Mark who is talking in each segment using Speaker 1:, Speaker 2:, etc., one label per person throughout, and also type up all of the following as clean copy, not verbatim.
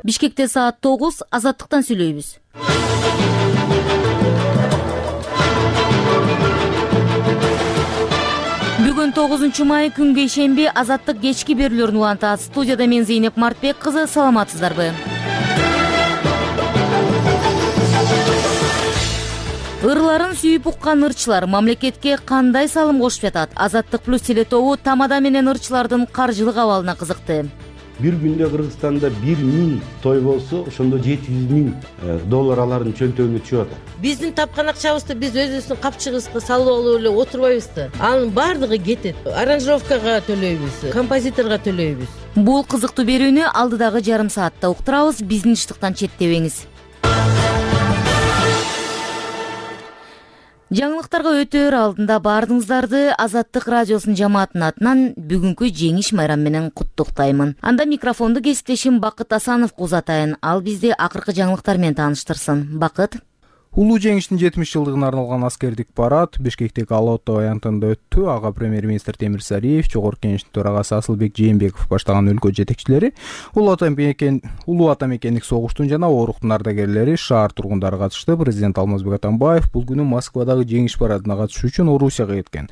Speaker 1: Бишкекте саат 9, Азаттыктан сүйлөйбүз. Бүгүн 9-май күнгө ишемби Азаттык кечки берүүлөрүн улантат. Студияда мен Зейнеп Мартбек кызы, саламатсыздарбы? Ырларын сүйүп уккан ырчылар мамлекетке кандай салым кошуп жатат? Азаттык плюс телетобу тамада менен ырчылардын каржылык абалына кызыкты.
Speaker 2: Бир күндө Кыргызстанда 1000 той болсо, ошондо $700,000 алардын чөнтөгүнө түшүп атат.
Speaker 3: Биздин тапкан акчабызды биз өзүбүздүн капчыгыбызга салып алып эле отурбайбыз да. Анын баардыгы кетет. Аранжировкага төлөйбүз, композиторго төлөйбүз.
Speaker 1: Бул кызыктуу берүүнү алдыдагы жарым саатта уктурабыз. Биздин иштыктан четтебеңиз. Жаңылыктарга өтөр алдында баардыгыңыздарды Азаттык радиосунун жамаатынын атынан бүгүнкү жеңиш майрамы менен куттуктаймын. Анда микрофонду кесиптешим Бакыт Асановго узатайын. Ал бизди акыркы жаңылыктар менен тааныштырсын. Бакыт.
Speaker 4: Улуу жеңиштин 70 жылдыгына арналган аскердик парад Бишкектеги Ала-Ото аянтында өттү. Ага премьер-министр Темир Сариев, Жогорку Кеңештин төрагасы Асылбек Жээнбеков баштаган өлкө жетекчилери, улуу ата мекендик согуштун жана ооруктун ардагерлери, шаар тургундары катышты. Президент Алмазбек Атамбаев бул күнү Москвадагы жеңиш парадына катышуу үчүн Орусияга кеткен.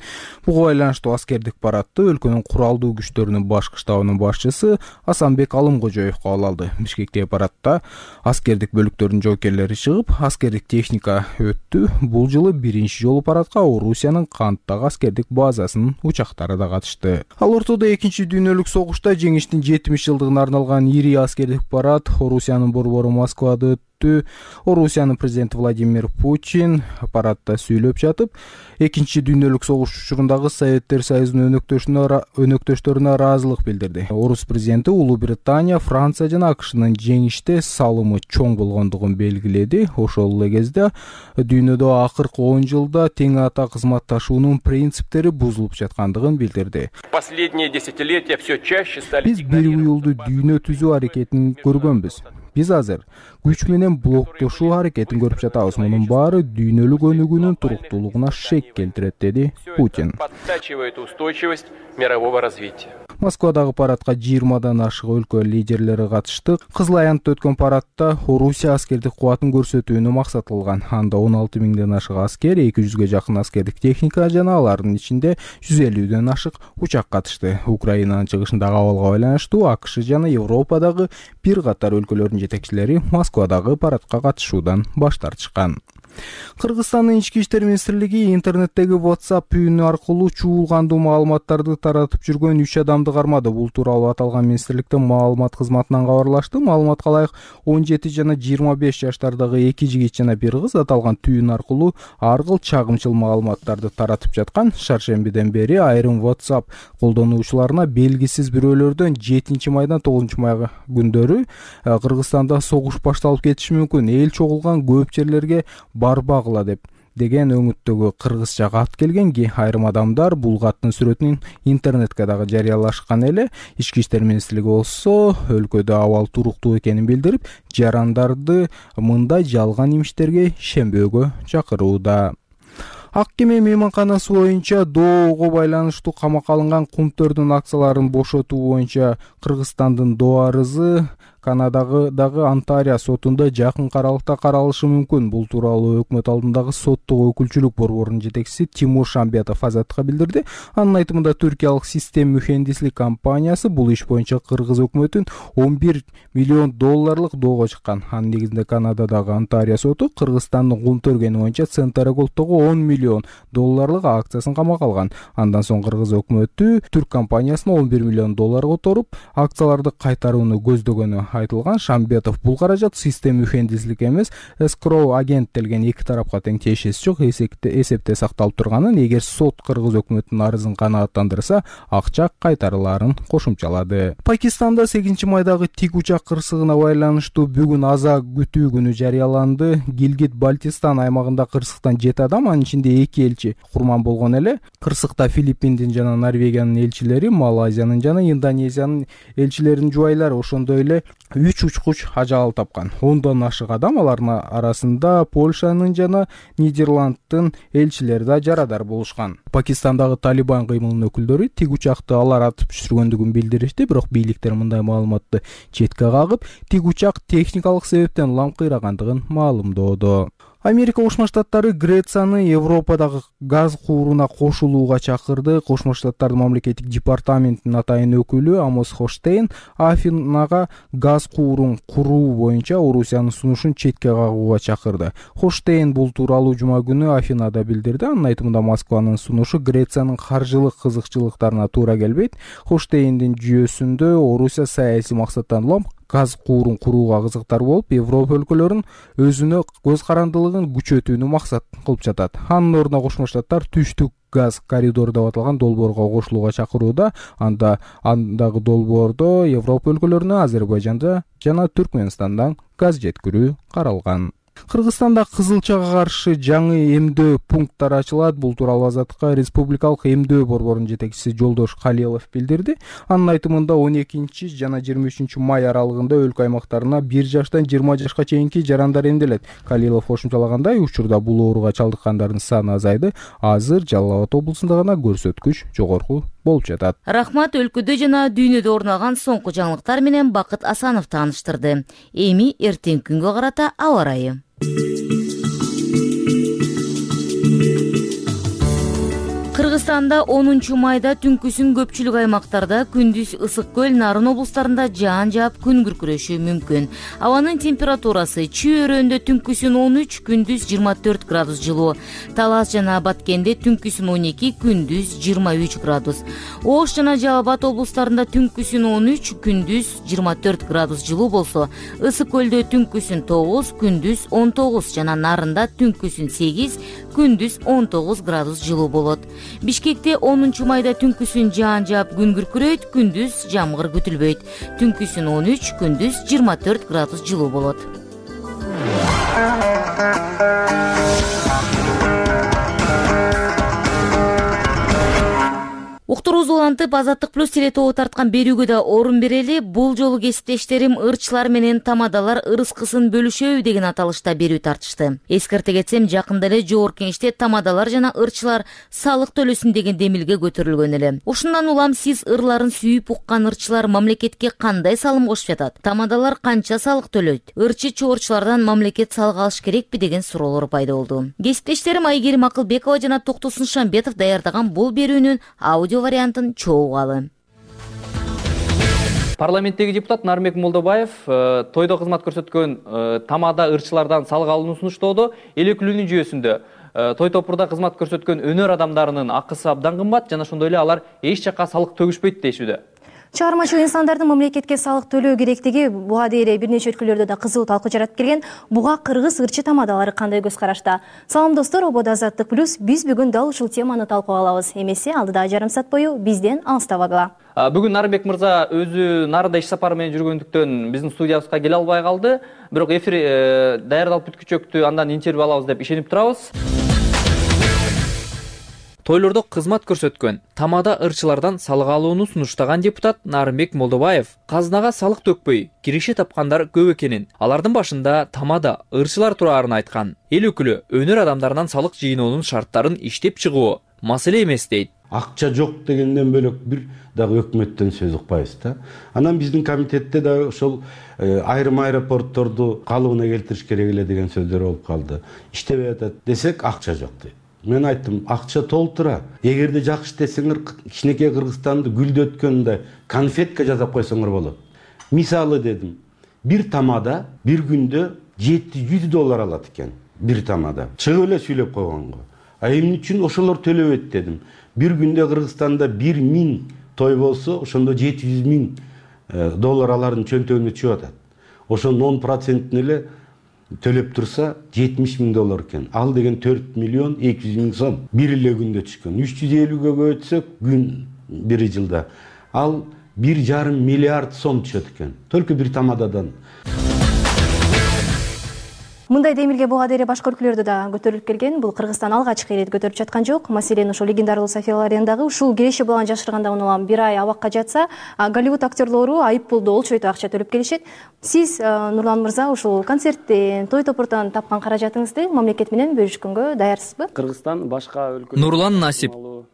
Speaker 4: Буга байланыштуу аскердик парадты өлкөнүн куралдуу күчтөрүнүн башкы штабынын башчысы Асанбек Алымкожоев кабыл алды. Бишкектеги парадта аскердик бөлүктөрдүн жоокерлери чыгып, аскердик техника өттү. Бул жылы биринчи жолу парадка Орусиянын Канттагы аскердик базасынын учактары да катышты. Ал ортодо экинчи дүйнөлүк согушта жеңиштин 70 жылдыгына арналган ири аскердик парад Орусиянын борбору Москвада өттү. Орусиянын президенти Владимир Путин парадта сүйлөп жатып, экинчи дүйнөлүк согуш учурундагы Советтер Союзунун өнөктөштөрүнө ыраазылык билдирди. Орус президенти Улуу Британия, Франция жана АКШнын жеңиште салымы чоң болгондугун белгиледи. Ошол эле кезде дүйнөдө акыркы 10 жылда тең ата кызматташуунун принциптери бузулуп жаткандыгын билдирди. Биз бир уюлдуу дүйнө түзүү аракетин көргөнбүз. Биз азыр күч менен блоктошуу аракетин көрүп жатабыз. Мунун баары дүйнөлүк өнүгүүнүн туруктуулугуна шек келтирет, деди Путин. Москвадагы парадка 20дан ашык өлкө лидерлери катышты. Кызыл аянтта өткөн парадта Орусия аскердик кубатын көрсөтүүнү максат кылган. Анда 16 миңден ашык аскер, 200ге жакын аскердик техника жана алардын ичинде 150ден ашык учак катышты. Украинанын чыгышындагы абалга байланыштуу АКШ жана Европадагы бир катар өлкөлөрдүн жетекчилери Москвадагы парадка катышуудан баш тартышкан. Кыргызстандын ички иштер министрлиги интернеттеги WhatsApp үйүнү аркылуу чуулгандуу маалыматтарды таратып жүргөн 3 адамды кармады. Бул тууралуу аталган министрликтин маалымат кызматынан кабарлашты. Маалыматка ылайык 17 жана 25 жаштардагы 2 жигит жана 1 кыз аталган түйүн аркылуу ар кыл чагымчыл маалыматтарды таратып жаткан. Шаршембиден бери айрым WhatsApp колдонуучуларына белгисиз бирөөлөрдөн 7 майдан 9 май күндөрү Кыргызстанда согуш башталып кетиши мүмкүн, эл чогулган көп жерлерге барбагыла деген өңүттөгү кыргызча кат келген. Айрым адамдар бул каттын сүрөтүн интернетке дагы жарыялашкан эле. Ички иштер министрлиги болсо өлкөдө абал туруктуу экенин билдирип, жарандарды мындай жалган имиштерге ишенбөөгө чакырууда. Ак кеме мейманканасы боюнча доого байланыштуу камакка алынган кумтөрдүн акцияларын бошотуу боюнча Кыргызстандын доо арызы Канадагы дагы Онтарио сотунда жакын аралыкта каралышы мүмкүн. Бул тууралуу өкмөт алдындагы соттук өкүлчүлүк борборунун жетекчиси Тимур Шамбетов Азаттыкка билдирди. Анын айтымында түркиялык Систем мухендислик компаниясы бул иш боюнча кыргыз өкмөтүн $11 миллион доого чыккан. Анын негизинде Канададагы Онтарио соту Кыргызстандын кум төргени боюнча Центр Голдтогу $10 миллион акциясын камакка алган. Андан соң кыргыз өкмөтү түрк компаниясына $11 миллион которуп, акцияларды кайтарууну көздөгөнү айтылган. Шамбетов бул каражат Систем мухендислик эмес, эскроу агенттелген эки тарапка тең тиешеси жок эсепте сакталып турганын, эгер сот кыргыз өкмөтүнүн арызын канааттандырса, акча кайтарылаарын кошумчалады. Пакистанда 8 майдагы тик учак кырсыгына байланыштуу бүгүн аза күтүү күнү жарыяланды. Гилгит-Бальтистан аймагында кырсыктан 7 адам, анын ичинде 2 элчи курман болгон эле. Кырсыкта Филиппиндин жана Норвегиянын элчилери, Малайзиянын жана Индонезиянын элчилеринин жубайлары, ошондой эле 3 учкуч ажал тапкан. 10дон ашык адам, алардын арасында Польшанын жана Нидерланддын элчилери да жарадар болушкан. Пакистандагы Талибан кыймылынын өкүлдөрү тик учакты алар атып түшүргөндүгүн билдиришти, бирок бийликтер мындай маалыматты четке кагып, тик учак техникалык себептен улам кыйрагандыгын маалымдоодо. Америка Кошмо Штаттары Грецияны Европадагы газ кууруна кошулууга чакырды. Кошмо Штаттардын мамлекеттик департаментинин атайын өкүлү Амос Хоштейн Афинага газ куурун куруу боюнча Орусиянын сунушун четке кагууга чакырды. Хоштейн бул тууралуу жума күнү Афинада билдирди. Анын айтымында Москванын сунушу Грециянын каржылык кызыкчылыктарына туура келбейт. Хоштейндин жүйөсүндө Орусия саясий максаттан улам газ куурун курууга кызыктар болуп, Европа өлкөлөрүн өзүнө көз карандылыгын күчөтүүнү максат кылып жатат. Анын ордуна Кошмо Штаттар түштүк газ коридору деп аталган долбоорго кошулууга чакырууда. Андагы долбоордо Европа өлкөлөрүнө Азербайжанда жана Түркмөнстандан газ жеткирүү каралган. Кыргызстанда кызылчага каршы жаңы эмдөө пункттары ачылат. Бул тууралуу Азаттыкка Республикалык эмдөө борборунун жетекчиси Жолдош Калилов билдирди. Анын айтымында 12 жана 23 май аралыгында өлкө аймактарына 1 жаштан 20 жашка чейинки жарандар эмделет. Калилов кошумчалагандай, учурда бул ооруга чалдыккандардын саны азайды. Азыр Жалал Абад облусунда гана көрсөткүч жогорку болуп жатат.
Speaker 1: Рахмат, өлкөдө жана дүйнөдө орун алган соңку жаңылыктар менен Бакыт Асанов тааныштырды. Эми эртең күнгө карата аба ырайы. Кыргызстанда 10 майда түнкүсүн көпчүлүк аймактарда, күндүз Ысык көл, Нарын облустарында жаан жаап күн күркүрөшү мүмкүн. Абанын температурасы Чүй өрөөндө түнкүсүн 13, күндүз 24 градус жылуу. Талас жана Баткенде түнкүсүн 12, күндүз 23 градус. Ош жана Жалал Абад облустарында түнкүсүн 13, күндүз 24 градус жылуу болсо, Ысык көлдө түнкүсүн 9, күндүз 19 жана Нарында түнкүсүн 8, күндүз 19 градус жылуу болот. Бишкекте 10 майда түнкүсүн жаан жаап күн күркүрөйт, күндүз жамгыр күтүлбөйт. Түнкүсүн 13, күндүз 24 градус жылуу болот. Уктуруубузду улантып, Азаттык плюс теле тобу тарткан берүүгө да орун берели. Бул жолу кесиптештерим ырчылар менен тамадалар ырыскысын бөлүшөбү деген аталышта берүү тартышты. Эскерте кетсем, жакында эле Жогорку Кеңеште тамадалар жана ырчылар салык төлөсүн деген демилге көтөрүлгөн эле. Ушундан улам сиз ырларын сүйүп уккан ырчылар мамлекетке кандай салым кошуп жатат? Тамадалар канча салык төлөйт? Ырчы чогорчулардан мамлекет салык алыш керекпи деген суроолор пайда болду. Кесиптештерим Айгерим Акылбекова жана Токтосун Шамбетов даярдаган бул берүүнүн аудио вариантын чогугалы.
Speaker 5: Парламенттеги депутат Нарынбек Молдобаев тойдо кызмат көрсөткөн тамада ырчылардан салык алууну сунуштоодо. Эл өкүлүнүн жүйөсүндө той топурда кызмат көрсөткөн өнөр адамдарынын акысы абдан кымбат жана ошондой эле алар эч жакка салык төгүшпөйт дешүүдө.
Speaker 6: Чыгармачыл инсандардын мамлекетке салык төлөө керектиги буга дейре бир нече өлкөлөрдө да кызуу талкуу жаратып келген. Буга кыргыз ырчы тамадалары кандай көз карашта? Салам достор, ободо Азаттык плюс биз бүгүн дал ушул теманы талкууга алабыз. Эмесе алдыда жарым саат бою бизден алыстабагыла.
Speaker 5: Бүгүн Нарынбек мырза өзү Нарында иш сапары менен жүргөндүктөн биздин студиябызга келе албай калды. Бирок эфир даярдалып бүткүчөктү, андан интервью алабыз деп ишенип турабыз. Тойлордо кызмат көрсөткөн тамада ырчылардан салык алууну сунуштаган депутат Нарынбек Молдобаев казынага салык төкпөй киреше тапкандар көп экенин, алардын башында тамада ырчылар турарын айткан. Эл өкүлү өнөр адамдарынан салык жыйноонун шарттарын иштеп чыгуу маселе эмес дейт.
Speaker 2: Акча жок дегенден бөлөк бир дагы өкмөттөн сөз укпайбыз да. Анан биздин комитетте да ошол айрым аэропортторду калыбына келтириш керек эле деген сөздөр болуп калды. Иштебей атат десек, акча жок дейт. Мен айттым, акча толтура. Эгерде жакшы десеңер, кичинекей Кыргызстанды гүлдөткөндөй конфетка жасап койсоңор болот. Мисалы дедим, бир тамада бир күндө $700 алат экен. Бир тамада. Чыгып эле сүйлөп койгонго. Эмне үчүн ошолор төлөбөйт дедим. Бир күндө Кыргызстанда 1000 той болсо, ошондо $700,000 алардын чөнтөгүнө чыгып атат. Ошонун 10% эле төлөп турса $70,000 экен. Ал деген 4,200,000 сом бир эле күндө түшкөн. 350-ге көбөйтсөк күн бир жылда ал 1,5 миллиард сом түшөт экен. Только бир тамададан.
Speaker 6: Мындай демилге буга дейин башка өлкөлөрдө да көтөрүлүп келген. Бул Кыргызстан алгачкы ирет көтөрүп жаткан жок. Маселен, ошол легендарлуу София Лорендагы ушул киреше баланы жашырганда унаган 1 ай абакка жатса, Голливуд актерлору айып пулду олчойту акча төлөп келишет. Сиз, Нурлан мырза, ушул концерттен, той топуртан тапкан каражатыңызды мамлекет менен бөлүшкөнгө даярсызбы?
Speaker 7: Кыргызстан башка өлкө.
Speaker 5: Нурлан Насип,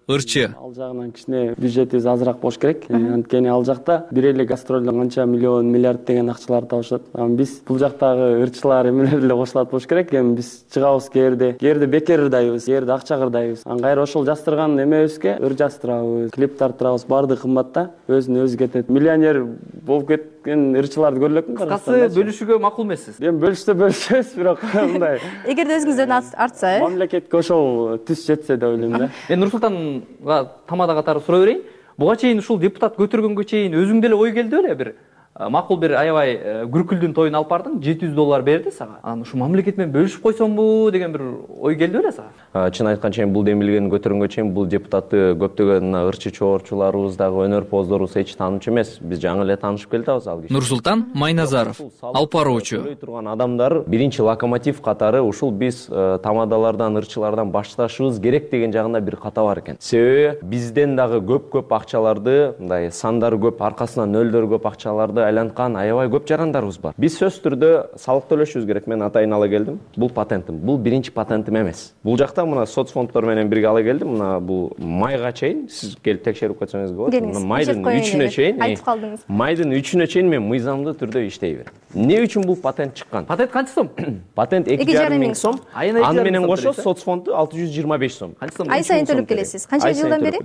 Speaker 5: ырчы.
Speaker 7: Ал жагынан кичине бюджетибиз азыраак болуш керек. Анткени ал жакта бир эле гастролдон канча миллион, миллиард деген акчаларды табышат. Биз бул жактагы ырчылар эмелер деле кошулат болуш керек. Эми биз чыгабыз кээрде бекер ырдайбыз, кээрде акча кырдайбыз. Кайра ошол жастырган эмебизге ыр жастырабыз, клип тартырабыз, баардыгы кымбат да, өзүнө өзү кетет. Миллионер болуп кеткен ырчыларды көрө элекмин.
Speaker 5: Кыскасы бөлүшүүгө макул эмессиз.
Speaker 7: Эми бөлүшөбүз, бирок мындай.
Speaker 6: Эгерде өзүңүздөн артса,
Speaker 7: Мамлекетке ошол түз жетсе деп ойлойм да.
Speaker 5: Мен Нурсултанга тамада катары сурай берейин. Буга чейин ушул депутат көтөргөнгө чейин өзүң деле ой келди беле бир? Макул бир аябай Күркүлдүн тоюн алып бардың, $700 берди сага. Анан ушу мамлекет менен бөлүшүп койсомбу деген бир ой келди беле сага?
Speaker 8: Чын айткан чейин бул демилгени көтөргөнгө чейин бул депутатты көптөгөн ырчы чоорчуларыбыз дагы өнөр поздорубуз эч таанычу эмес. Биз жаңы эле таанышып келдик ал киши.
Speaker 5: Нурсултан Майназаров, алып баруучу.
Speaker 8: Турган адамдар биринчи локомотив катары ушул биз тамадалардан, ырчылардан башташыбыз керек деген жагында бир ката бар экен. Себеби бизден дагы көп акчаларды, мындай сандары көп, аркасынан нөлдөр көп акчаларды айланткан аябай көп жарандарыбыз бар. Биз сөз түрдө салык төлөшүбүз керек. Мен атайын ала келдим. Бул патентим. Бул биринчи патентим эмес. Бул жакта мына соцфонддор менен бирге ала келдим. Мына бул майга чейин сиз келип текшерип койсоңуз болот. Мына майдын 3-үнө чейин,
Speaker 6: айтып калдыңыз.
Speaker 8: Майдын 3-үнө чейин мен мыйзамдуу түрдө иштей берем. Эмне үчүн бул патент чыккан?
Speaker 5: Патент канча сом?
Speaker 8: Патент 2,5 миң сом.
Speaker 5: Аны
Speaker 8: менен кошо соцфонду 625 сом.
Speaker 6: Ай сайын төлөп келесиз. Канча жылдан бери?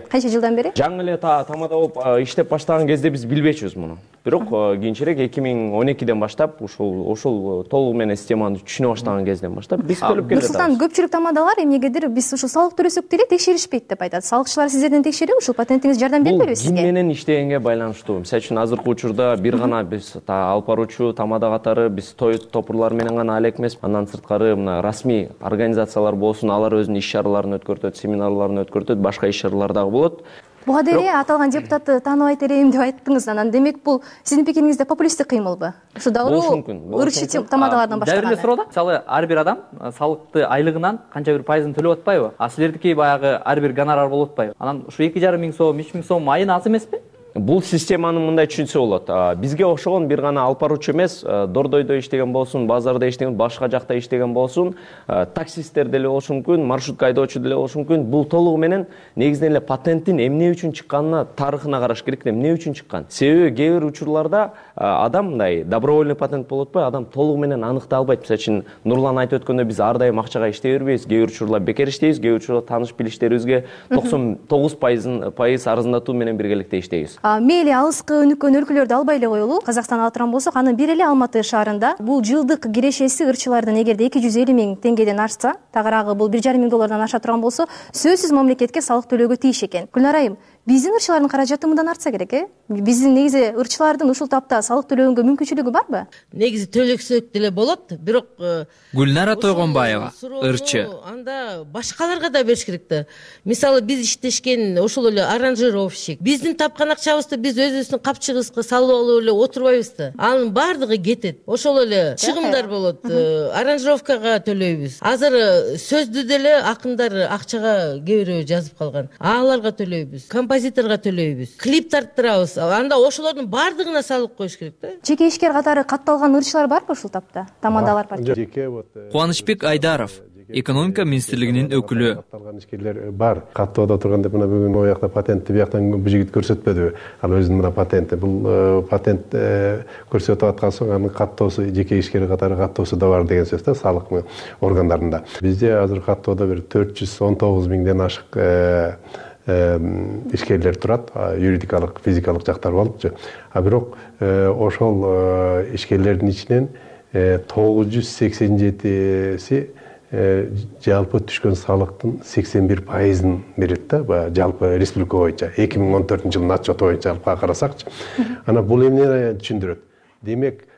Speaker 6: Канча жылдан бери?
Speaker 8: Жаңы эле тамада болуп иштеп баштаган кезде биз билбечүбүз муну. Бирок кийинчерээк 2012ден баштап ушул толугу менен системаны түшүнө баштаган кезден баштап биз төлөп келе жатабыз.
Speaker 6: Нурсултан, көпчүлүк тамадалар эмнегедир биз ушул салык төлөсөк деле текшеришпейт деп айтат. Салыкчылар сиздерден текшерип, ушул патентиңиз жардам бербейби сизге?
Speaker 8: Бул ким менен иштегенге байланыштуу. Мисалы үчүн азыркы учурда бир гана биз алып баруучу тамада катары биз той топурлар менен гана алек эмес. Андан сырткары мына расмий организациялар болсун, алар өзүнүн иш чараларын өткөртөт, семинарларын өткөртөт, башка иш чаралар дагы болот.
Speaker 6: Буга дейин аталган депутатты тааныбайт элем деп айттыңыз. Анан демек бул сиздин пикириңизде популисттик кыймылбы? Ушу дагы ырчы тамадалардан баштаган.
Speaker 5: Дайыр эле суроо да. Мисалы, ар бир адам салыкты айлыгынан канча бир пайызын төлөп атпайбы? Силердики баягы ар бир гонорар болуп атпайбы? Анан ушу 2,5 миң сом, 3 миң сом айына аз эмеспи?
Speaker 8: Бул системаны мындай түшүнсө болот. Бизге окшогон бир гана алып баруучу эмес, дордойдо иштеген болсун, базарда иштеген, башка жакта иштеген болсун, таксисттер деле болушу мүмкүн, маршрутка айдоочу деле болушу мүмкүн. Бул толугу менен негизинен эле патенттин эмне үчүн чыкканына, тарыхына караш керек. Эмне үчүн чыккан? Себеби кээ бир учурларда адам мындай добровольный патент болуп атпайбы, адам толугу менен аныктай албайт. Мисалы үчүн Нурлан айтып өткөндөй биз ар дайым акчага иштей бербейбиз. Кээ бир учурларда бекер иштейбиз, кээ бир учурларда тааныш билиштерибизге 99% арзандатуу менен биргеликте иштейбиз.
Speaker 6: Мейли алыскы өнүккөн өлкөлөрдү албай эле коелу. Казакстан ала турган болсок, анын бир эле Алматы шаарында бул жылдык кирешеси ырчылардын эгерде 250 миң теңгеден ашса, тагыраагы бул $1,5 миң аша турган болсо, сөзсүз мамлекетке салык төлөөгө тийиш экен. Гүлнар айым, биздин ырчылардын каражаты мындан артса керек, Биздин негизи ырчылардын ушул тапта салык төлөөгө мүмкүнчүлүгү барбы?
Speaker 3: Негизи төлөсөк деле болот, бирок
Speaker 5: Гүлнара Тойгонбаева, ырчы.
Speaker 3: Анда башкаларга да бериш керек да. Мисалы, биз иштешкен ошол эле аранжировщик. Биздин тапкан акчабызды биз өзүбүздүн капчыгыбызга салып алып эле отурбайбыз да. Анын баардыгы кетет. Ошол эле чыгымдар болот. Аранжировкага төлөйбүз. Азыр сөздү деле акындар акчага кээ бирөө жазып калган. Аларга төлөйбүз. Композиторго төлөйбүз. Клип тарттырабыз. Анда ошолордун баардыгына салык коюш керек да.
Speaker 6: Жеке ишкер катары катталган ырчылар барбы ушул тапта? Тамадалар бар.
Speaker 5: Кубанычбек Айдаров, экономика министрлигинин өкүлү.
Speaker 9: Катталган ишкерлер бар. Каттоодо турганда мына бүгүн могу жакта патентти бияктан бу жигит көрсөтпөдүбү? Ал өзүнүн мына патенти. Бул патент көрсөтүп аткан соң анын каттоосу жеке ишкер катары каттоосу да бар деген сөз да, салык органдарында. Бизде азыр каттоодо бир 419 миңден ашык ишкерлер турат, юридикалык, физикалык жактар болупчу. Бирок ошол ишкерлердин ичинен 987си жалпы түшкөн салыктын 81%ын берет да, жалпы республика боюнча 2014 жылдын отчету боюнча алып карасакчы. Ана бул эмнени түшүндүрөт? Демек,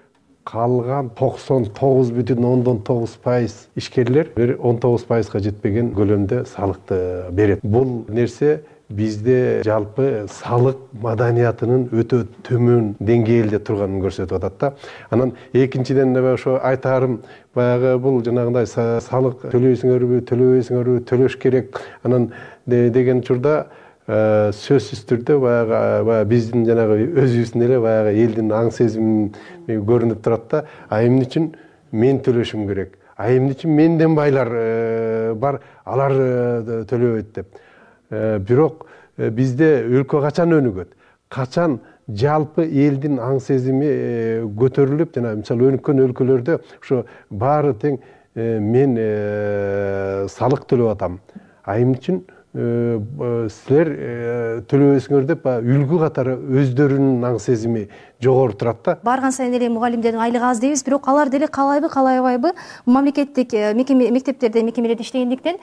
Speaker 9: калган 99,9% ишкерлер бир 19%га жетпеген көлөмдө салыкты берет. Бул нерсе бизде жалпы салык маданиятынын өтө төмөн деңгээлде турганын көрсөтүп атат да. Анан экинчиден ошо айтарым баягы бул жанагындай салык төлөйсүңөрбү, төлөбөйсүңөрбү, төлөш керек анан деген учурда сөзсүз түрдө баягы биздин жанагы өзүбүздүн эле баягы элдин аң сезими көрүнүп турат да. Эмне үчүн мен төлөшүм керек? Эмне үчүн менден байлар бар, алар төлөбөйт деп. Бирок бизде өлкө качан өнүгөт? Качан жалпы элдин аң сезими көтөрүлүп, жана мисалы өнүккөн өлкөлөрдө ошо баары тең мен салык төлөп атам. Эмне үчүн силер төлөбөйсүңөр деп үлгү катары өздөрүнүн аң сезими жогору турат да.
Speaker 6: Барган сайын эле мугалимдердин айлыгы аз дейбиз, бирок алар деле каалайбы, каалабайбы мамлекеттик мектептерде, мекемелерде иштегендиктен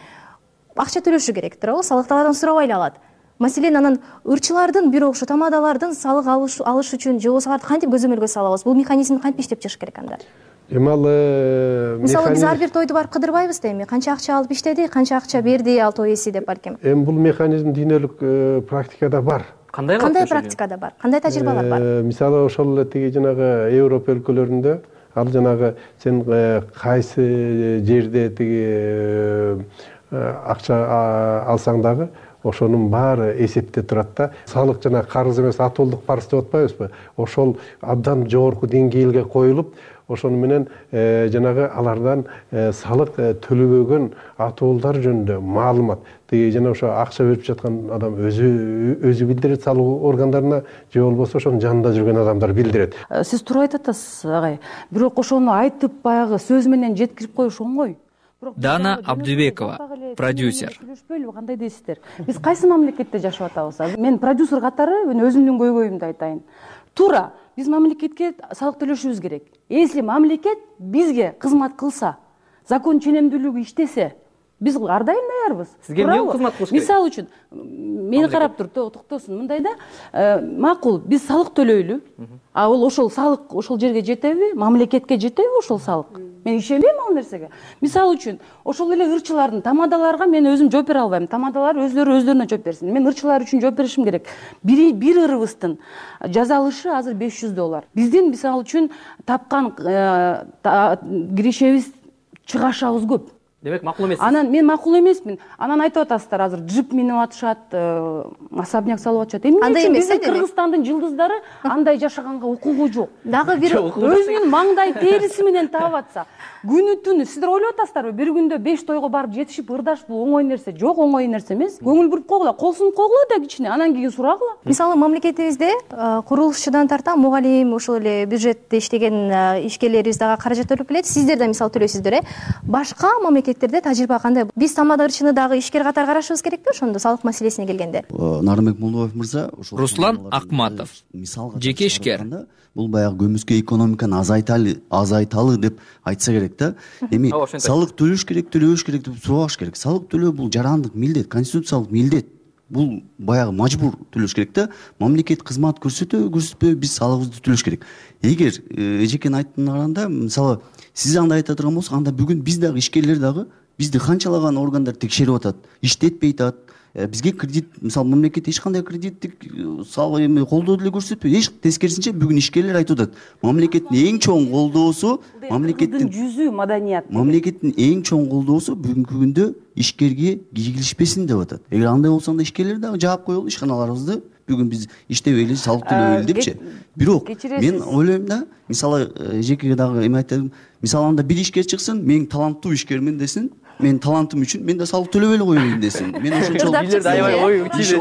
Speaker 6: акча төлөшү керек, туурабы? Салыкты адам сурабай эле алат. Маселен, анан ырчылардын бирок ошо тамадалардын салык алыш үчүн же болбосо аларды кантип көзөмөлгө салабыз? Бул механизм кантип иштеп чыгыш керек анда? Мисалы биз ар бир тойду барып кыдырбайбыз да, эми канча акча алып иштеди, канча акча берди ал той ээси деп балким.
Speaker 9: Эми бул механизм дүйнөлүк практикада бар.
Speaker 6: Кандай практикада бар? Кандай тажрыйбалар бар?
Speaker 9: Мисалы ошол эле тиги жанагы Европа өлкөлөрүндө ал жанагы сен кайсы жерде тиги акча алсаң дагы ошонун баары эсепте турат да. Салык жана карыз эмес, атуулдук парыз деп атпайбызбы? Ошол абдан жогорку деңгээлге коюлуп, ошону менен жанагы алардан салык төлөбөгөн атуулдар жөнүндө маалымат жана ошо акча берип жаткан адам өзү билдирет салык органдарына, же болбосо ошонун жанында жүргөн адамдар билдирет.
Speaker 10: Сиз туура айтып атасыз, агай. Бирок ошону айтып баягы сөз менен жеткирип коюш оңой.
Speaker 5: Дана Абдубекова, продюсер.
Speaker 10: Төлөшпөйлүбү, кандай дейсиздер? Биз кайсы мамлекетте жашап атабыз? Мен продюсер катары өзүмдүн көйгөйүмдү айтайын. Туура, биз мамлекетке салык төлөшүбүз керек. Если мамлекет бизге кызмат кылса, закон ченемдүүлүгү иштесе, биз ар дайым даярбыз.
Speaker 5: Сизге эмне кызмат кылыш керек?
Speaker 10: Мисалы үчүн, мени карап тур, токтосун. Мындайда, макул, биз салык төлөйлү. А ошол салык ошол жерге жетеби? Мамлекетке жетеби ошол салык? Мен ишенбейм ал нерсеге. Мисалы үчүн, ошол эле ырчылардын тамадаларга мен өзүм жооп бере албайм. Тамадалар өздөрүнө жооп берсин. Мен ырчылар үчүн жооп беришим керек. Бир ырыбыздын жазалышы азыр $500. Биздин мисалы үчүн тапкан киришебиз чыгашабыз көп.
Speaker 5: Демек макул эмес.
Speaker 10: Анан мен макул эмесмин. Анан айтып атасыздар, азыр джип минип атышат, особняк салып атышат. Эмне үчүн биздин Кыргызстандын жылдыздары андай жашаганга укугу жок? Дагы бир өзүнүн маңдай териси менен таап атса, күнү түнү сиздер ойлоп атасыздарбы? Бир күндө 5 тойго барып жетишип ырдаш бул оңой нерсе жок, оңой нерсе эмес. Көңүл буруп койгула, кол сунуп койгула да кичине, анан кийин сурагыла.
Speaker 6: Мисалы мамлекетибизде курулушчудан тарта мугалим, ошол эле бюджетте иштеген ишкерлерибиз дагы каражат төлөп келет. Сиздер да мисалы төлөйсүздөр, Башка мамлекеттерде тажрыйба кандай? Биз тамада ырчыны дагы ишкер катары карашыбыз керекпи ошондо салык маселесине келгенде?
Speaker 11: Нарымбек Молдобаев мырза,
Speaker 5: Руслан Акматов, жеке ишкер.
Speaker 11: Бул баягы көмүскө экономиканы азайталы деп айтса керек да. Эми салык төлөш керек, төлөбөш керек деп сурабаш керек. Салык төлөө бул жарандык милдет, конституциялык милдет. Бул баягы мажбур төлөш керек да. Мамлекет кызмат көрсөтпөбү, биз салыгыбызды төлөш керек. Эгер эжекен айтканында, мисалы, сиз андай айта турган болсок, анда бүгүн биз дагы ишкерлер дагы бизди канчалаган органдар текшерип атат, иштетпей атат. Бизге кредит, мисалы, мамлекет эч кандай кредиттик салык колдоо деле көрсөтпөйт. Эч тескерисинче бүгүн ишкерлер айтып атат. Мамлекеттин эң чоң колдоосу, мамлекеттин
Speaker 10: жүзү маданият.
Speaker 11: Мамлекеттин эң чоң колдоосу бүгүнкү күндө ишкерге кийгилишпесин деп атат. Эгер андай болсо анда ишкерлер дагы жаап коелу ишканаларыбызды. Бүгүн биз иштебейли, салык төлөбөйлү депчи. Бирок мен ойлойм да, мисалы, эжекеге дагы эме айтам. Мисалы, анда бир ишкер чыксын, мен таланттуу ишкермин десин, мен талантым үчүн мен да салык төлөбөйлү коеюн десин. Мен ошончолук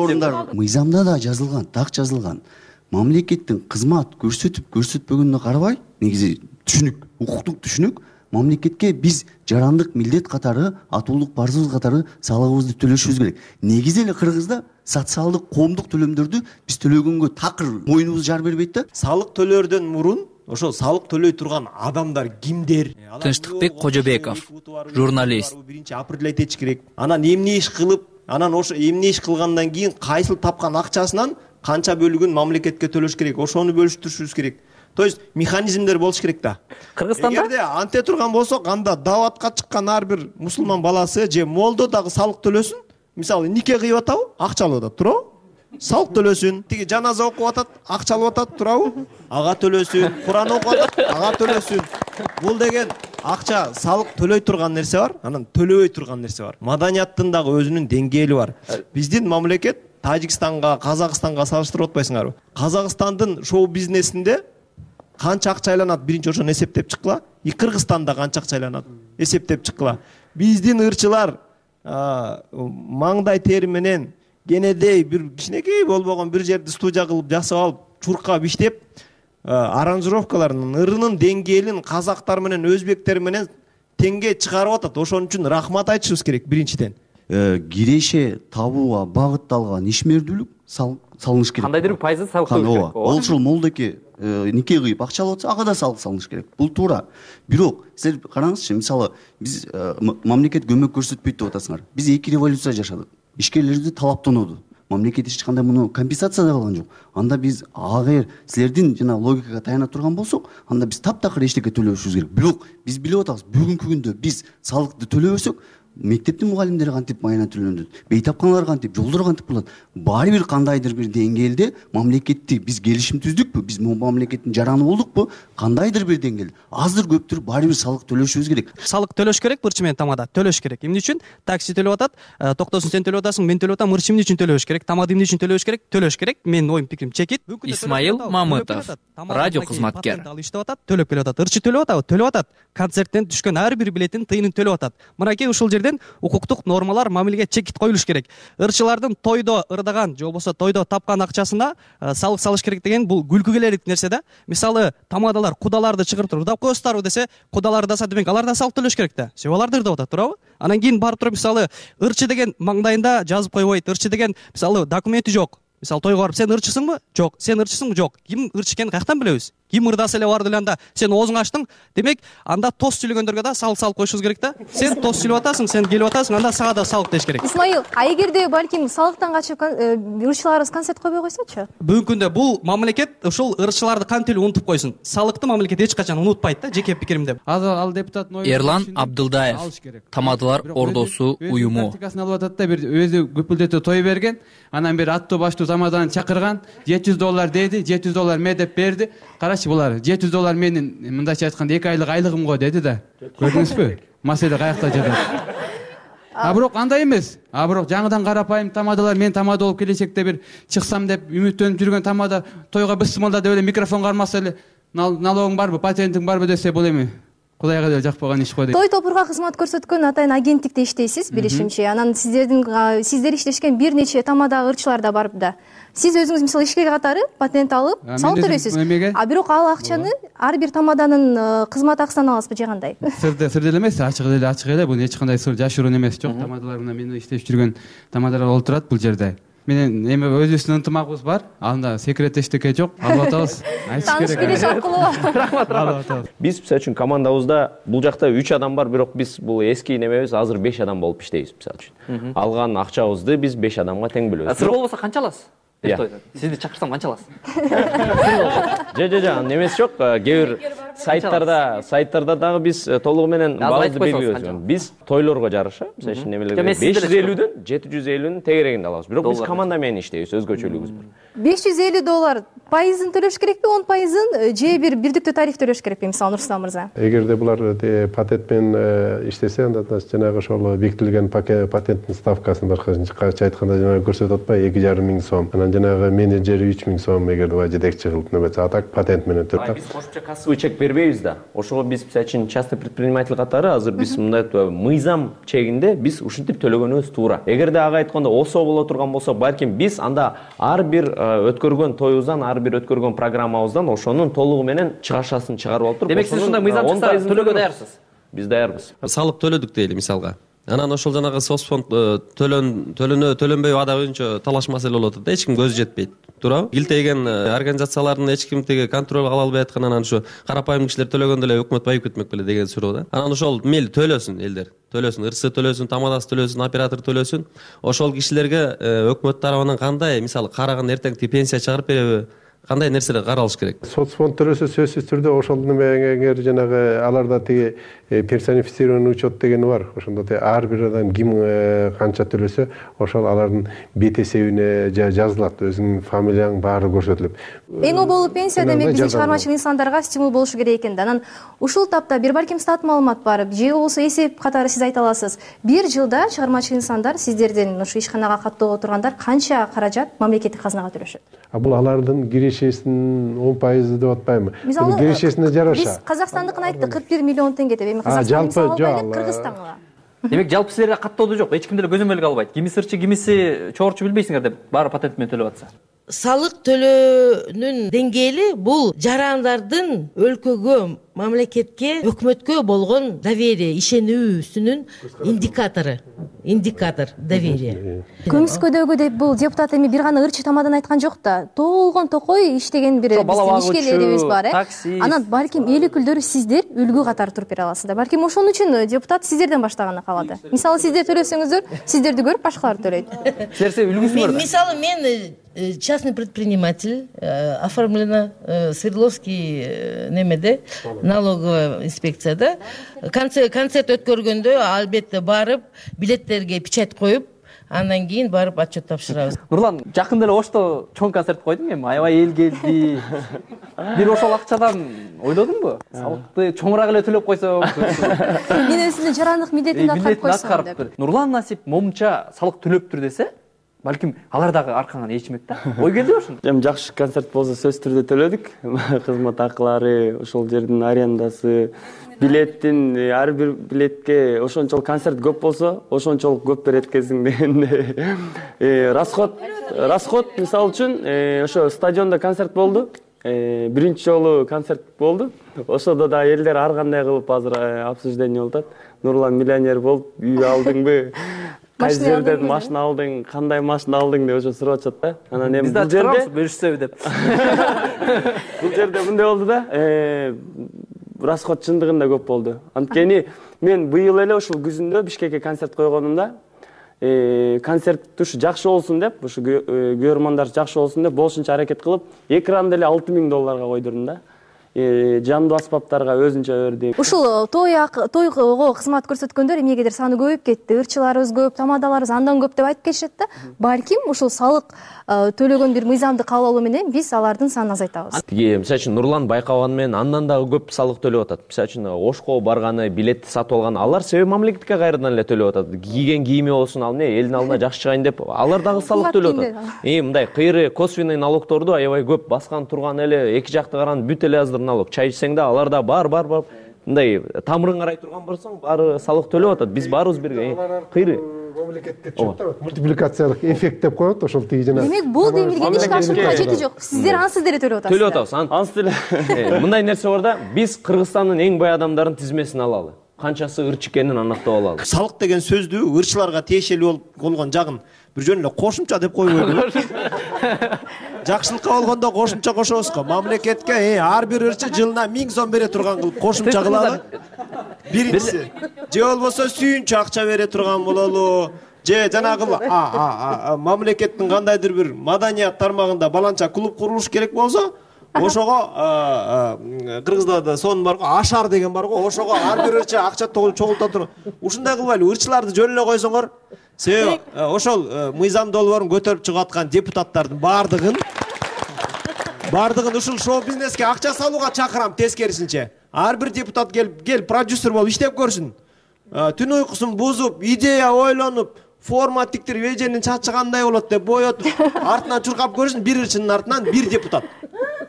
Speaker 11: орундар мыйзамда да жазылган, так жазылган. Мамлекеттин кызмат көрсөтпөгөнүнө карабай, негизи түшүнүк, укуктук түшүнүк, мамлекетке биз жарандык милдет катары, атуулдук парызыбыз катары салыгыбызды төлөшүбүз керек. Негизи эле Кыргызда социалдык, коомдук төлөмдөрдү биз төлөгөнгө такыр мойнубуз жар бербейт да.
Speaker 12: Салык төлөөрдөн мурун ошол салык төлөй турган адамдар кимдер?
Speaker 5: Тынчтыкбек Кожобеков, журналист.
Speaker 12: Биринчи определять этиш керек. Анан эмне иш кылып, анан ошо эмне иш кылгандан кийин кайсыл тапкан акчасынан канча бөлүгүн мамлекетке төлөш керек, ошону бөлүштүрүшүбүз керек. То есть механизмдер болуш керек да.
Speaker 5: Кыргызстанда
Speaker 12: эгерде анте турган болсок, анда даватка чыккан ар бир мусулман баласы же молдо дагы салык төлөсүн. мисалы нике кыйып атабы, акча алып атат, туурабы? Салык төлөсүн. Тиги жаназа окуп атат, акча алып атат, туурабы? Ага төлөсүн. Куран окуп атат, ага төлөсүн. Бул деген акча салык төлөй турган нерсе бар, анан төлөбөй турган нерсе бар. Маданияттын дагы өзүнүн деңгээли бар. Биздин мамлекет Тажикстанга, Казакстанга салыштырып атпайсыңарбы? Казакстандын шоу бизнесинде канча акча айланат, биринчи ошону эсептеп чыккыла. Кыргызстанда канча акча айланат, эсептеп чыккыла. Биздин ырчылар маңдай тери менен кенедей бир кичинекей болбогон бир жерди студия кылып жасап алып, чуркап иштеп, аранжировкаларын, ырынын деңгээлин казактар менен өзбектер менен теңге чыгарып атат. Ошон үчүн рахмат айтышыбыз керек биринчиден.
Speaker 11: Киреше табууга багытталган ишмердүүлүк салыныш керек.
Speaker 5: Кандайдыр бир пайызы салык төлөш керек.
Speaker 11: Ошол молдоке нике кыйып акча алып атса, ага да салык салыныш керек. Бул туура. Бирок силер караңызчы, мисалы биз мамлекет көмөк көрсөтпөйт деп атасыңар. Биз 2 революция жашадык. Ишкерлерди талаптонуду. Мамлекет эч кандай муну компенсация да кылган жок. Анда биз агер силердин жана логикага таяна турган болсок, анда биз таптакыр эчтеке төлөбөшүбүз керек. Бирок биз билип атабыз, бүгүнкү күндө биз салыкты төлөбөсөк, мектептин мугалимдери кантип майына төлөнөт, бейтапканалар кантип, жолдор кантип болот. Баары бир кандайдыр бир деңгээлде мамлекетти биз келишим түздүкпү, биз мамлекеттин жараны болдукпу, кандайдыр бир деңгээлде аздыр көптүр баары бир салык төлөшүбүз керек.
Speaker 13: Салык төлөш керек, ырчы менен тамада төлөш керек. Эмне үчүн? Такси төлөп атат, токтосун сен төлөп атасың, мен төлөп атам, ырчы эмне үчүн төлөш керек, тамада эмне үчүн төлөш керек? Төлөш керек. Менин оюм пикирим чекит.
Speaker 5: Исмаил Мамытов, радио кызматкер.
Speaker 13: Иштеп атат, төлөп келип атат. Ырчы төлөп атабы? Төлөп атат. Концерттен түшкөн ар бир билеттин тыйынын төлөп атат. Мынакей ушул жерден укуктук нормалар, мамилеге чекит коюлуш керек. Ирчылардын тойдо ырдаган же болбосо тойдо тапкан акчасына салык салыш керек деген бул күлкү келерлик нерсе да. Мисалы, тамадалар кудаларды чыгарып туруп ырдап коесуздарбы десе, кудалар да демек алар да салык төлөш керек да. Себеп алар да ырдап атат, туурабы? Анан кийин барып туруп мисалы, ырчы деген маңдайында жазып койбойт, ырчы деген мисалы документи жок. Мисалы, тойго барып сен ырчысыңбы? Жок. Сен ырчысыңбы? Жок. Ким ырчы экенин каяктан билебиз? Ким ырдаса эле барды эле анда сен оозуңду ачтың, демек анда тос сүйлөгөндөргө да салык коюшубуз керек да. Сен тос сүйлөп атасың, сен келип атасың, анда сага да салык деш керек.
Speaker 6: Исмаил, эгерде балким салыктан качып ырчыларыбыз концерт койбой койсочу?
Speaker 13: Бүгүнкү күндө бул мамлекет ушул ырчыларды кантип эле унутуп койсун. Салыкты мамлекет эч качан унутпайт да, жеке пикиримде.
Speaker 14: Ал депутаттын ою
Speaker 5: Эрлан Абдылдаев, Тамадалар Ордосу уюму.
Speaker 14: Практикасын алып атат да, бир өзү көпүлдөтө той берген, анан бир аттуу баштуу тамаданы чакырган, $700 деди, $700 ме деп берди. Карачы булар, $700 менин мындайча айтканда 2 айлык айлыгым го деди да. Көрдүңүзбү? Маселе каякта жатат. Бирок андай эмес. Бирок жаңыдан карапайым тамадалар, мен тамада болуп келечекте бир чыксам деп үмүттөнүп жүргөн тамада тойго бысмылда деп эле микрофон кармаса эле налогуң барбы, патентиң барбы десе бул эми Кудайга деле жакпаган иш го дейт.
Speaker 6: Той топурга кызмат көрсөткөн атайын агенттикте иштейсиз, билишимче. Анан сиздер иштешкен бир нече тамадагы ырчылар да барып да. Сиз өзүңүз мисалы ишкер катары патент алып, салык төлөйсүз. Бирок ал акчаны ар бир тамаданын кызмат акысынан аласызбы же кандай?
Speaker 14: Сыр деле эмес, ачык эле, бул эч кандай сыр жашыруун эмес. Жок, тамадалар мына мен иштеп жүргөн тамадалар олтурат бул жерде. Менен эми өзүбүздүн ынтымагыбыз бар. Анда секрет эчтеке жок. Алып атабыз.
Speaker 6: Таныш билиш аркылуу.
Speaker 14: Рахмат.
Speaker 8: Биз мисалы үчүн командабызда бул жакта 3 адам бар, бирок биз бул эски немебиз, азыр 5 адам болуп иштейбиз мисалы үчүн. Алган акчабызды биз 5 адамга тең бөлөбүз.
Speaker 5: Сыр болбосо канча аласыз? Сизди чакырсам канча аласыз?
Speaker 8: Жо, немеси жок. Кээ бир сайттарда дагы биз толугу менен баазды белгилебиз. Биз тойлорго жараша, мисалы үчүн немелерге 550дөн 750-нин тегерегинде алабыз. Бирок биз команда менен иштейбиз, өзгөчөлүгүбүз бар.
Speaker 6: $550 пайызын төлөш керекпи, 10% же бир бирдиктүү тариф төлөш керекпи, мисалы Нурсултан мырза?
Speaker 9: Эгерде булар патент менен иштесе, анда жанагы ошол бекитилген патенттин ставкасын башкача айтканда жанагы көрсөтүп атпайбы, 2,5 миң сом. Анан жанагы менеджери 3 миң сом эгерде бай жетекчи кылып небесе, а так патент менен төрт.
Speaker 8: Биз кошумча кассовый чек бербейбиз да. Ошого биз мисалы үчүн частный предприниматель катары азыр биз мындай мыйзам чегинде биз ушинтип төлөгөнүбүз туура. Эгерде ага айтканда осо боло турган болсо, балким биз анда ар бир өткөргөн тоюбуздан, ар бир өткөргөн программабыздан ошонун толугу менен чыгашасын чыгарып алып туруп,
Speaker 5: демек сиз ушундай мыйзам чыкса төлөөгө даярсыз?
Speaker 8: Биз даярбыз.
Speaker 15: Салык төлөдүк дейли мисалга. Анан ошол жанагы соцфонд төлөнбөй ада боюнча талаш маселе болуп атат да, эч ким көзү жетпейт. Туурабы? Илтеген организациялардын эч ким теге контроль кыла албай аткан, анан ушу карапайым кишилер төлөгөндө эле өкмөт байып кетмек беле деген суроо да. Анан ошол мейли төлөсүн элдер. Төлөсүн, ырсы төлөсүн, тамадасы төлөсүн, оператор төлөсүн. Ошол кишилерге өкмөт тарабынан кандай, мисалы караган эртең пенсия чыгарып береби? кандай нерселер каралыш керек?
Speaker 9: Соцфонд төлөсө сөзсүз түрдө ошол немеңер жанагы аларда тиги персонифицированный учет деген бар. Ошондо ар бир адам ким канча төлөсө, ошол алардын бет эсебине жазылат. Өзүңүн фамилияң баары көрсөтүлүп.
Speaker 6: Эң оболу пенсия демек биздин чыгармачыл инсандарга стимул болушу керек экен да. Анан ушул тапта бир балким стат маалымат бар, же болбосо эсеп катары сиз айта аласыз. Бир жылда чыгармачыл инсандар сиздерден ушу ишканага каттоого тургандар канча каражат мамлекеттик казынага төлөшөт?
Speaker 9: Бул алардын кирешесинин 10% деп атпайбы?
Speaker 6: Мисалы,
Speaker 9: кирешесине жараша.
Speaker 6: Биз Казакстандыкын айттык 41 миллион теңге деп, эми Казакстан Кыргызстанга.
Speaker 5: Демек жалпы силерге каттоодо жок, эч ким деле көзөмөлгө албайт. Кимиси ырчы, кимиси чогорчу билбейсиңер деп баары патент менен төлөп атса.
Speaker 3: Салык төлөөнүн деңгээли бул жарандардын өлкөгө, мамлекетке, өкмөткө болгон доверие, ишенүүсүнүн индикатор доверие.
Speaker 6: Көмүскөдөгү деп бул депутат эми бир гана ырчы тамадан айткан жок да. Толгон токой иштеген бир биздин ишкерлерибиз бар, Анан балким эл өкүлдөрү сиздер үлгү катары туруп бере аласыздар. Балким ошон үчүн депутат сиздерден баштаганы калады. Мисалы, сиздер төлөсөңүздөр, сиздерди көрүп башкалар төлөйт.
Speaker 5: Силер үлгүсүңөр да.
Speaker 3: Мисалы, мен частный предприниматель, оформлена Свердловский немеде, налоговая инспекцияда. Концерт өткөргөндө албетте барып, билеттерге печать коюп, андан кийин барып отчет тапшырабыз.
Speaker 5: Нурлан, жакында эле Ошто чоң концерт койдуң эми, аябай эл келди. Бир ошол акчадан ойлодуңбу? Салыкты чоңураак эле төлөп койсом.
Speaker 6: Мен өзүнүн жарандык милдетимди аткарып койсом деп.
Speaker 5: Нурлан Насип момунча салык төлөптүр десе, балким алар дагы аркаңан ээрчимек да. Ой келди ошондо.
Speaker 7: Эми жакшы концерт болсо сөзсүз түрдө төлөдүк. Кызмат акылары, ошол жердин арендасы, билеттин ар бир билетке ошончолук концерт көп болсо, ошончолук көп берет экенсиң деген расход мисалы үчүн ошо стадиондо концерт болду. Биринчи жолу концерт болду. Ошодо да элдер ар кандай кылып азыр обсуждение болуп атат. Нурлан миллионер болуп үй алдыңбы? Кайсы жерден машина алдың, кандай машина алдың деп ошо сурап атышат да. Анан эми бул жерде
Speaker 5: бөлүшсөбү деп.
Speaker 7: Бул жерде мындай болду да, расход чындыгында көп болду. Анткени мен быйыл эле ушул күзүндө Бишкекке концерт койгонумда, концерт ушу жакшы болсун деп, ушу көрөрмандар жакшы болсун деп болушунча аракет кылып, экранды эле $6000 койдурдум да. Жандуу аспаптарга өзүнчө өрдү.
Speaker 6: Ушул тойго кызмат көрсөткөндөр эмнегедир саны көбөйүп кетти. Ырчыларыбыз көп, тамадаларыбыз андан көп деп айтып келишет да. Балким ушул салык төлөгөн бир мыйзамды кабыл алуу менен биз алардын санын азайтабыз.
Speaker 8: Тиги мисалы үчүн Нурлан байкаганы менен андан дагы көп салык төлөп атат. Мисалы үчүн Ошко барганы, билетти сатып алган, алар себеби мамлекетке кайрадан эле төлөп атат. Кийген кийими болсун, ал эмне элдин алдына жакшы чыгайын деп, алар дагы салык төлөп атат. Мындай кыйры косвенный налогторду аябай көп баскан турган эле, эки жакты караганда бүт эле азыр налог. Чай ичсең да алар да бар мындай тамырын карай турган болсоң, баары салык төлөп атат. Биз баарыбыз бирге кыйры
Speaker 9: мамлекетте чөптөт, мультипликациялык эффект деп коет, ошол тиги жана.
Speaker 6: Демек бул демилген ишке ашуунун кажети жок. Сиздер ансыз деле төлөп атасыздар.
Speaker 8: Төлөп атабыз. Ансыз деле. Мындай нерсе бар да, биз Кыргызстандын эң бай адамдарын тизмесин алалы. Канчасы ырчы экенин аныктап алалы.
Speaker 12: Салык деген сөздү ырчыларга тиешелүү болгон жагын бир жөн эле кошумча деп койбойбу? Жакшылыкка болгондо кошумча кошобуз го. Мамлекетке ар бир ырчы жылына 1000 сом бере турган кылып кошумча кылалы. Биринчиси. Же болбосо сүйүнчө акча бере турган бололу. Же жанагы мамлекеттин кандайдыр бир маданият тармагында баланча клуб курулуш керек болсо, ошого Кыргыздарда сон бар го, ашар деген бар го, ошого ар бир ырчы акча чогулта турган. Ушундай кылбайлы, ырчыларды жөн эле койсоңор, себеби ошол мыйзам долбоорун көтөрүп чыгып аткан депутаттардын бардыгын ушул шоу бизнеске акча салууга чакырам тескерисинче. Ар бир депутат кел продюсер болуп иштеп көрсүн. Түн уйкусун бузуп, идея ойлонуп, форма тиктирип, эженин чачы кандай болот деп боетуп, артынан чуркап көрсүн, бир ырчынын артынан бир депутат.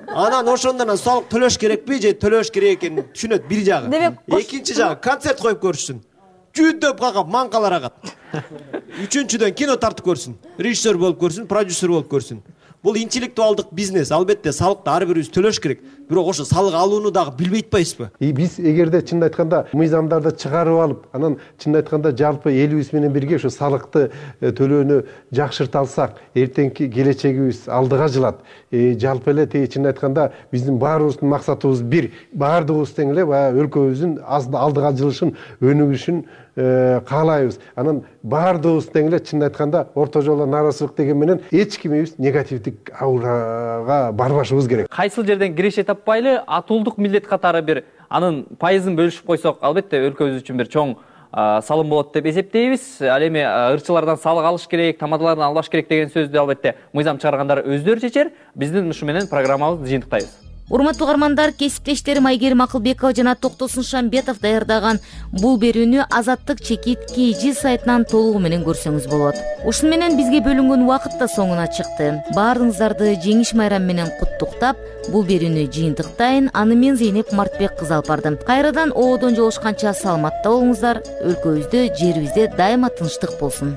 Speaker 12: Анан ошондон салык төлөш керекпи же төлөш керек экенин түшүнөт бир жагы. Экинчи жагы концерт коюп көрсүн. Жүдөп какап маңкалар агат. Үчүнчүдөн кино тартып көрсүн. Режиссер болуп көрсүн, продюсер болуп көрсүн. Бул интеллектуалдык бизнес. Албетте салыкты ар бирибиз төлөш керек. Бирок ошо салык алууну дагы билбей атпайбызбы?
Speaker 9: Биз эгерде чын айтканда мыйзамдарды чыгарып алып, анан чын айтканда жалпы элибиз менен бирге ошо салыкты төлөөнү жакшырта алсак, эртеңки келечегибиз алдыга жылат. Жалпы эле чын айтканда биздин баарыбыздын максатыбыз бир. Баардыгыбыз тең эле баягы өлкөбүздүн алдыга жылышын, өнүгүшүн каалайбыз. Анан баардыгыбыз тең эле чынын айтканда орто жолдо нааразычылык деген менен эч кимибиз негативдик аурага барбашыбыз керек.
Speaker 5: Кайсыл жерден киреше таппайлы атуулдук милдет катары бир анын пайызын бөлүшүп койсок, албетте өлкөбүз үчүн бир чоң салым болот деп эсептейбиз. Ал эми ырчылардан салык алыш керек, тамадалардан албаш керек деген сөздү албетте мыйзам чыгаргандар өздөрү чечер. Биздин ушу менен программабызды жыйынтыктайбыз.
Speaker 1: Урматтуу угармандар, кесиптештерим Айгерим Акылбекова жана Токтосун Шамбетов даярдаган бул берүүнү Азаттык чекит KG сайтынан толугу менен көрсөңүз болот. Ушуну менен бизге бөлүнгөн убакыт да соңуна чыкты. Баарыңыздарды жеңиш майрамы менен куттуктап, бул берүүнү жыйынтыктайын. Аны мен Зейнеп Мартбек кызы алып бардым. Кайрадан ободон жолушканча саламатта болуңуздар. Өлкөбүздө, жерибизде дайыма тынчтык болсун.